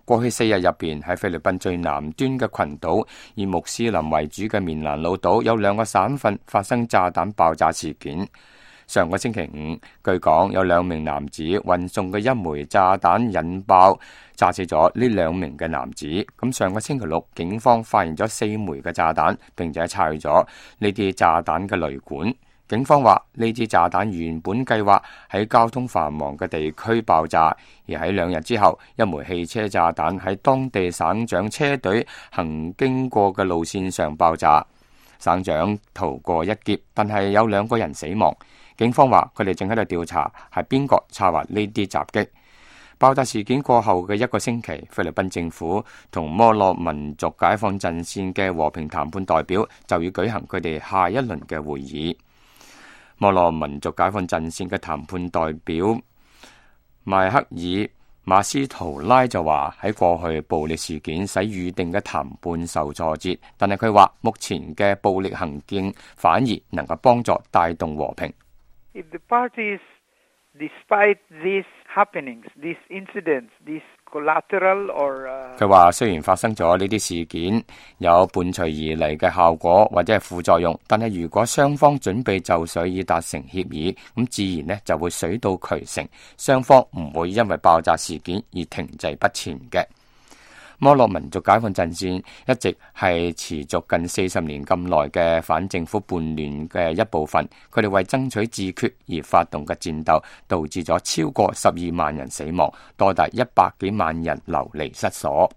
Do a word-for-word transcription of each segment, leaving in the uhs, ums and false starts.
過去四日入邊喺菲律賓最南端嘅群島，以穆斯林為主嘅棉蘭老島有兩個省份發生炸彈爆炸事件。上個星期五，據講有兩名男子運送嘅一枚炸彈引爆，炸死咗呢兩名嘅男子。咁上個星期六，警方發現咗四枚嘅炸彈，並且拆咗呢啲炸彈嘅雷管。警方話呢支炸彈原本計劃喺交通繁忙嘅地區爆炸，而喺兩日之後，一枚汽車炸彈喺當地省長車隊行經過嘅路線上爆炸。省長逃過一劫，但係有兩個人死亡。警方話佢哋正喺度調查係邊個策劃呢啲襲擊。爆炸事件過後嘅一個星期，菲律賓政府同摩洛民族解放陣線嘅和平談判代表就要舉行佢哋下一輪嘅會議。摩洛民族解放陣線嘅談判代表邁克爾馬斯圖拉就話喺過去暴力事件使預定嘅談判受挫折，但係佢話目前嘅暴力行徑反而能夠幫助帶動和平。If the parties, despite these happenings, these incidents, these collateral or 佢話雖然發生咗呢啲事件，有伴隨而嚟嘅效果或者係副作用，但係如果雙方準備就緒以達成協議，咁自然呢就會水到渠成，雙方唔會因為爆炸事件而停滯不前嘅。摩洛民族解放陣線一直係持續近四十年咁耐嘅反政府叛亂嘅一部分，佢哋為爭取自決而發動嘅戰鬥，導致咗超過十二萬人死亡，多達一百幾萬人流離失所。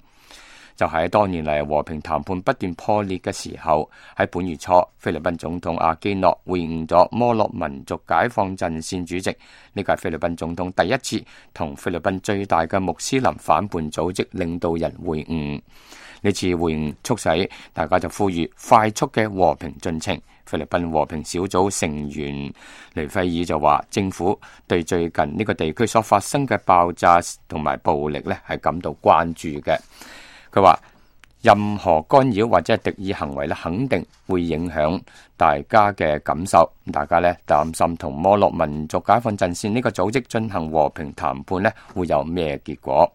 就喺多年嚟和平談判不斷破裂嘅時候，喺本月初，菲律賓總統阿基諾會晤咗摩洛民族解放陣線主席。呢個係菲律賓總統第一次同菲律賓最大嘅穆斯林反叛組織領導人會晤。呢次會晤促使大家就呼籲快速嘅和平進程。菲律賓和平小組成員雷費爾就話，政府對最近呢個地區所發生嘅爆炸同埋暴力呢係感到關注嘅。佢話任何干擾或者係敵意行為咧，肯定會影響大家嘅感受。大家咧擔心同摩洛民族解放陣線呢個組織進行和平談判咧，會有咩結果？